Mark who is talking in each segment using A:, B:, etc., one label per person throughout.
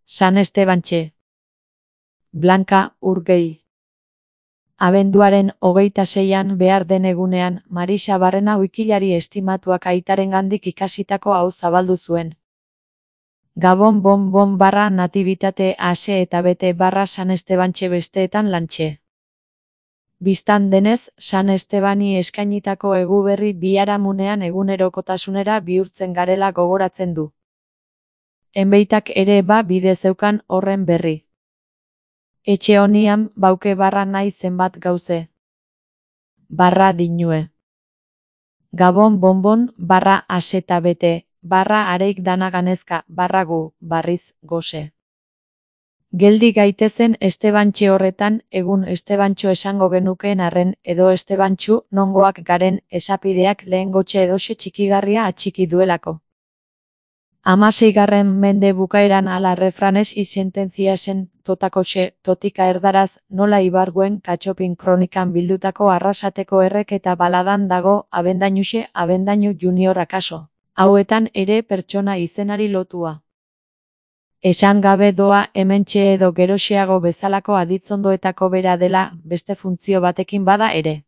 A: San Estebantxe. Blanka Urgell. Abenduaren 26an behar den egunean, Marisa Barrena wikilari estimatuak aitarengandik ikasitako hau zabaldu zuen. Gabon bon barra natibitate ase eta bete barra San Estebantxe besteetan lantxe. Bistan denez, San Estebani eskainitako eguberri biharamunean egunerokotasunera bihurtzen garela gogoratzen du. Enbeitak ere ba bide zeukan horren berri. Etxe honian bauke barra nahi zenbat gauze. Barra dinue. Gabon bonbon barra aseta bete, barra areik danaganezka, barra gu, barriz, gose. Geldi gaitezen Estebantxe horretan, egun Estebantxo esango genukeen arren, edo Estebantxu nongoak garen esapideak lehen gotxe edoxe txikigarria atxiki duelako. 16. mende bukaeran ala refranes y sententziasen totakoxe, totika erdaraz, nola ibarguen katxopin kronikan bildutako arrasateko errek eta baladan dago, abendainuxe, abendainu junior akaso. Hauetan ere pertsona izenari lotua. Esan gabe doa hementxe edo geroxeago bezalako aditzondoetako bera dela, beste funtzio batekin bada ere.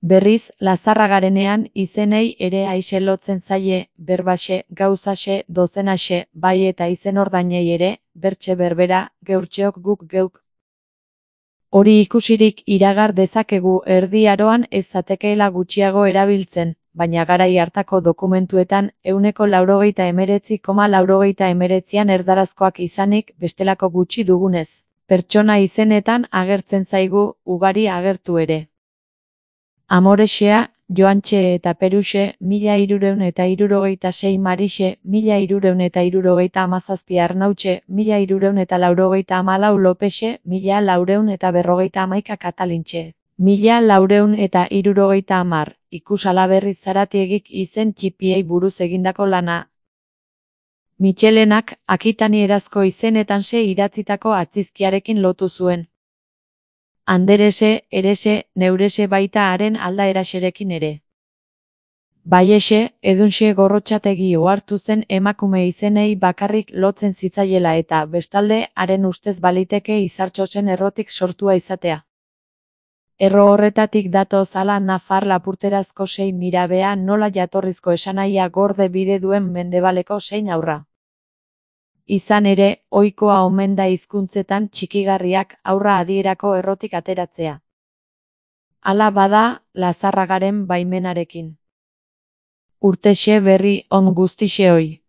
A: Berriz, Lazarragarenean izenei ere aixe lotzen zaie, berbaxe, gauzaxe, dozenaxe, bai eta izen ordainei ere, bertxe berbera, geurtxeok guk geuk. Hori ikusirik iragar dezakegu Erdi Aroan ez zatekeela gutxiago erabiltzen, baina garai hartako dokumentuetan 99,99an erdarazkoak izanik bestelako gutxi dugunez. Pertsona izenetan agertzen zaigu, ugari agertu ere. Amorexea, Joantxe eta Peruxe, 1366 Marixe, 1367 Arnautxe, 1384 Lopexe, 1451 Katalintxe, 1470 ikusalaberri Zaratiegik izen txipiei buruz egindako lana. Mitxelenak, Akitanierazko izenetanse idatzitako atzizkiarekin lotu zuen. Anderese, erese, neurese baita haren aldaeraxerekin ere. Baiese, edunxe Gorrotxategi ohartu zen emakume izenei bakarrik lotzen zitzaiela eta, bestalde, haren ustez baliteke Izartxosen errotik sortua izatea. Erro horretatik datoz ala nafar lapurterazko sei mirabea nola jatorrizko esanahia gorde bide duen mendebaleko zein aurra. Izan ere, ohikoa omen da hizkuntzetan txikigarriak aurra adierako errotik ateratzea. Hala bada, Lazarragaren baimenarekin. Urtexe berri on guztixeoi.